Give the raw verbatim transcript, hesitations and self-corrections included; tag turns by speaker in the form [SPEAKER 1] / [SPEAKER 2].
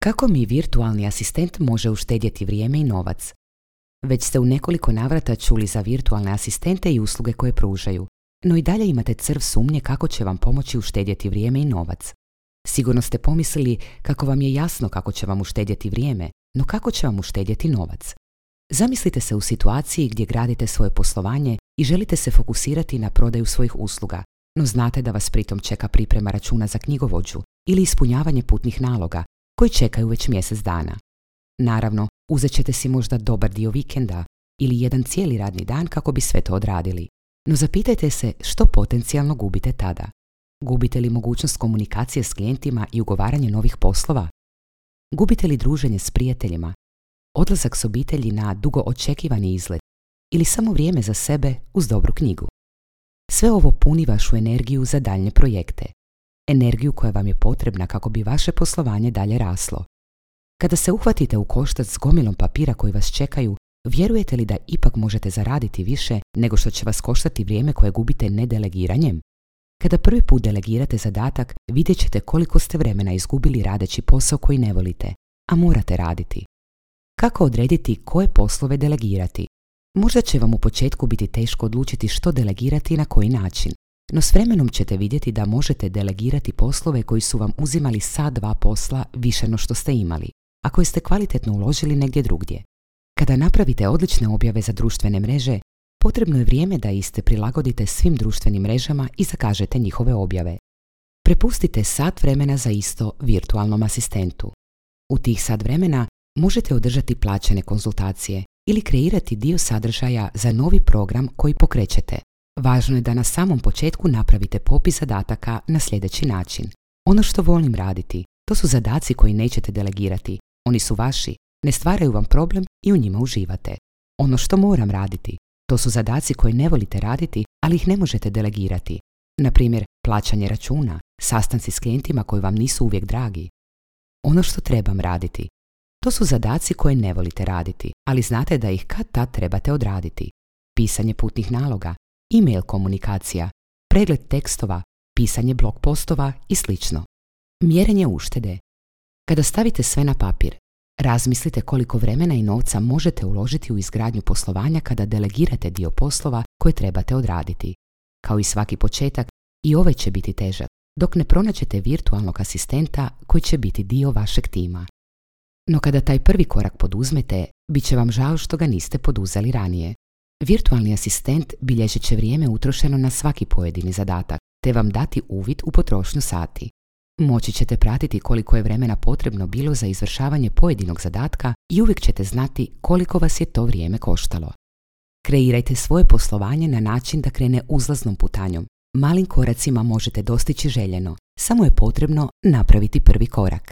[SPEAKER 1] Kako mi virtualni asistent može uštedjeti vrijeme i novac? Već ste u nekoliko navrata čuli za virtualne asistente i usluge koje pružaju, no i dalje imate crv sumnje kako će vam pomoći uštedjeti vrijeme i novac. Sigurno ste pomislili kako vam je jasno kako će vam uštedjeti vrijeme, no kako će vam uštedjeti novac? Zamislite se u situaciji gdje gradite svoje poslovanje i želite se fokusirati na prodaju svojih usluga, no znate da vas pritom čeka priprema računa za knjigovođu ili ispunjavanje putnih naloga koji čekaju već mjesec dana. Naravno, uzet ćete si možda dobar dio vikenda ili jedan cijeli radni dan kako bi sve to odradili. No zapitajte se što potencijalno gubite tada. Gubite li mogućnost komunikacije s klijentima i ugovaranje novih poslova? Gubite li druženje s prijateljima? Odlazak s obitelji na dugo očekivani izlet? Ili samo vrijeme za sebe uz dobru knjigu? Sve ovo puni vašu energiju za daljnje projekte. Energiju koja vam je potrebna kako bi vaše poslovanje dalje raslo. Kada se uhvatite u koštac s gomilom papira koji vas čekaju, vjerujete li da ipak možete zaraditi više nego što će vas koštati vrijeme koje gubite nedelegiranjem? Kada prvi put delegirate zadatak, vidjet ćete koliko ste vremena izgubili radeći posao koji ne volite, a morate raditi. Kako odrediti koje poslove delegirati? Možda će vam u početku biti teško odlučiti što delegirati i na koji način, no s vremenom ćete vidjeti da možete delegirati poslove koji su vam uzimali sat dva posla više no što ste imali, a koje ste kvalitetno uložili negdje drugdje. Kada napravite odlične objave za društvene mreže, potrebno je vrijeme da iste prilagodite svim društvenim mrežama i zakažete njihove objave. Prepustite sat vremena za isto virtualnom asistentu. U tih sat vremena možete održati plaćene konzultacije ili kreirati dio sadržaja za novi program koji pokrećete. Važno je da na samom početku napravite popis zadataka na sljedeći način. Ono što volim raditi, to su zadaci koji nećete delegirati. Oni su vaši, ne stvaraju vam problem i u njima uživate. Ono što moram raditi, to su zadaci koje ne volite raditi, ali ih ne možete delegirati. Na primjer, plaćanje računa, sastanci s klijentima koji vam nisu uvijek dragi. Ono što trebam raditi, to su zadaci koje ne volite raditi, ali znate da ih kad tad trebate odraditi. Pisanje putnih naloga, e-mail komunikacija, pregled tekstova, pisanje blog postova i sl. Mjerenje uštede. Kada stavite sve na papir, razmislite koliko vremena i novca možete uložiti u izgradnju poslovanja kada delegirate dio poslova koje trebate odraditi. Kao i svaki početak, i ovaj će biti težak, dok ne pronađete virtualnog asistenta koji će biti dio vašeg tima. No kada taj prvi korak poduzmete, bit će vam žao što ga niste poduzeli ranije. Virtualni asistent bilježit će vrijeme utrošeno na svaki pojedini zadatak, te vam dati uvid u potrošnju sati. Moći ćete pratiti koliko je vremena potrebno bilo za izvršavanje pojedinog zadatka i uvijek ćete znati koliko vas je to vrijeme koštalo. Kreirajte svoje poslovanje na način da krene uzlaznom putanjom. Malim koracima možete dostići željeno, samo je potrebno napraviti prvi korak.